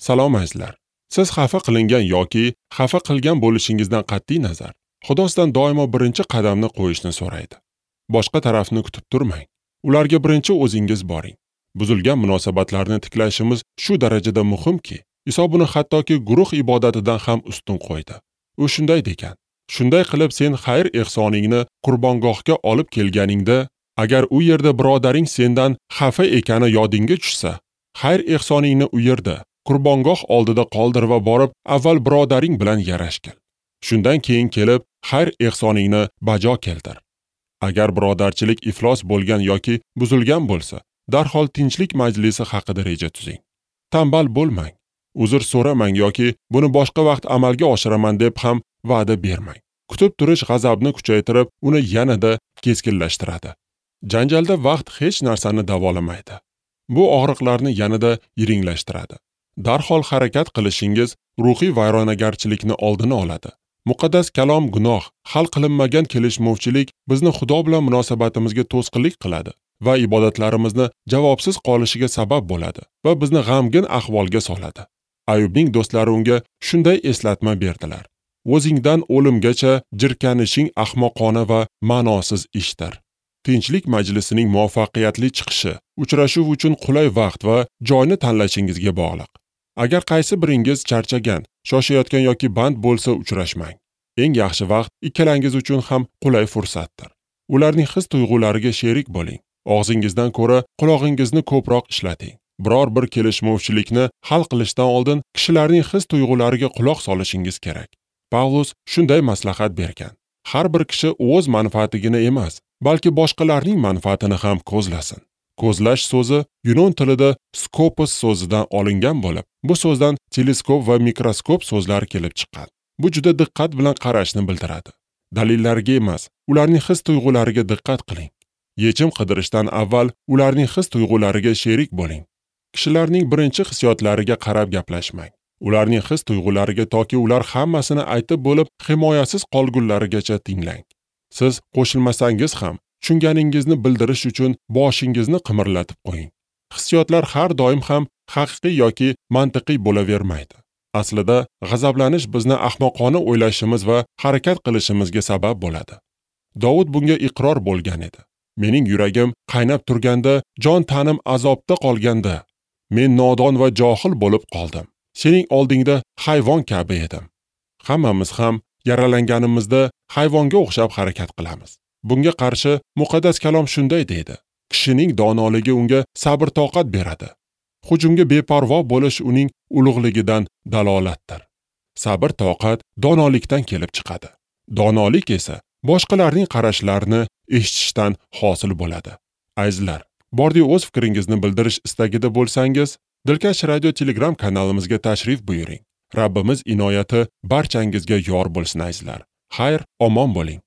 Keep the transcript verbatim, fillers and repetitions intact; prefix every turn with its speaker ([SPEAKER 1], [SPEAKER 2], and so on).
[SPEAKER 1] Salom azizlar. Siz xafa qilingan yoki xafa qilgan bo'lishingizdan qat'iy nazar, Xudo sizdan doimo birinchi qadamni qo'yishni so'raydi. Boshqa tarafni kutib turmang. Ularga birinchi o'zingiz boring. Buzilgan munosabatlarni tiklashimiz shu darajada muhimki, Iso buni hattoki guruh ibodatidan ham ustun qo'ydi. U shunday degan: shunday qilib sen xayr ehsoningni qurbongohga olib kelganingda, agar u yerda birodaring sendan xafa ekani yodingga tushsa, xayr ehsoningni u yerda qurbongoh oldida qoldir va borib avval birodaring bilan yarashgil. Shundan keyin kelib xayr ehsoningni bajo keltir. Agar birodarchilik iflos bo'lgan yoki buzilgan bo'lsa, darhol tinchlik majlisi haqida reja tuzing. Tambal bo'lmang, uzr so'ramang yoki buni boshqa vaqt amalga oshiraman deb ham va'da bermang. Kutib turish g'azabni kuchaytirib, uni yanada keskinlashtiradi. Janjalda vaqt hech narsani davolamaydi. Bu og'riqlarni yanada yiringlashtiradi. Darhol harakat qilishingiz ruhiy vayronagarchilikni oldini oladi. Muqaddas kalom gunoh, hal qilinmagan kelishmovchilik bizni Xudo bilan munosabatimizga to'sqinlik qiladi va ibodatlarimizni javobsiz qolishiga sabab bo'ladi va bizni g'amgin ahvolga soladi. Ayubning do'stlari unga shunday eslatma berdilar: o'zingdan o'limgacha jirkanishing ahmoqona va ma'nosiz ishdir. Tinchlik majlisining muvaffaqiyatli chiqishi uchrashuv uchun qulay vaqt va joyni tanlashingizga bog'liq. Agar qaysi biringiz charchagan, shoshayotgan yoki band bo'lsa, uchrashmang. Eng yaxshi vaqt ikkalangiz uchun ham qulay fursatdir. Ularning his-tuyg'ulariga sherik bo'ling. Og'zingizdan ko'ra qulog'ingizni ko'proq ishlating. Biror bir kelishmovchilikni hal qilishdan oldin kishilarning his-tuyg'ulariga quloq solishingiz kerak. Pavlus shunday maslahat bergan: har bir kishi o'z manfaatigina emas, balki boshqalarning manfaatini ham ko'zlasin. Ko'zlash so'zi yunon tilida skopos so'zidan olingan bo'lib, bu so'zdan teleskop va mikroskop so'zlari kelib chiqqan. Bu juda diqqat bilan qarashni bildiradi. Dalillarga emas, ularning his-tuyg'ulariga diqqat qiling. Yechim qidirishdan avval ularning his-tuyg'ulariga sherik bo'ling. Kishilarning birinchi hissiyotlariga qarab gaplashmang. Ularning his-tuyg'ulariga toki ular hammasini aytib bo'lib, himoyasiz qolgunlarigacha tinglang. Siz qo'shilmasangiz ham tushunganingizni bildirish uchun boshingizni qimirlatib qo'ying. Hissiyotlar har doim ham haqiqiy yoki mantiqiy bo'lavermaydi. Aslida g'azablanish bizni ahmoqona o'ylashimiz va harakat qilishimizga sabab bo'ladi. Dovud bunga iqror bo'lgan edi. Mening yuragim qaynab turganda, jon tanim azobda qolganda, men nodon va johil bo'lib qoldim. Sening oldingda hayvon kabi edim. Hammamiz ham yaralanganimizda hayvonga o'xshab harakat qilamiz. Bunga qarshi muqaddas kalom shunday deydi: kishining donoligi unga sabr-toqat beradi. Hujumga beparvo bo'lish uning ulug'ligidan dalolatdir. Sabr-toqat donolikdan kelib chiqadi. Donolik esa boshqalarning qarashlarini eshitishdan hosil bo'ladi. Azizlar, bordi o'z fikringizni bildirish istagida bo'lsangiz, Dilkash Radio Telegram kanalimizga tashrif buyuring. Rabbimiz inoyati barchangizga yor bo'lsin azizlar. Xayr, omon bo'ling.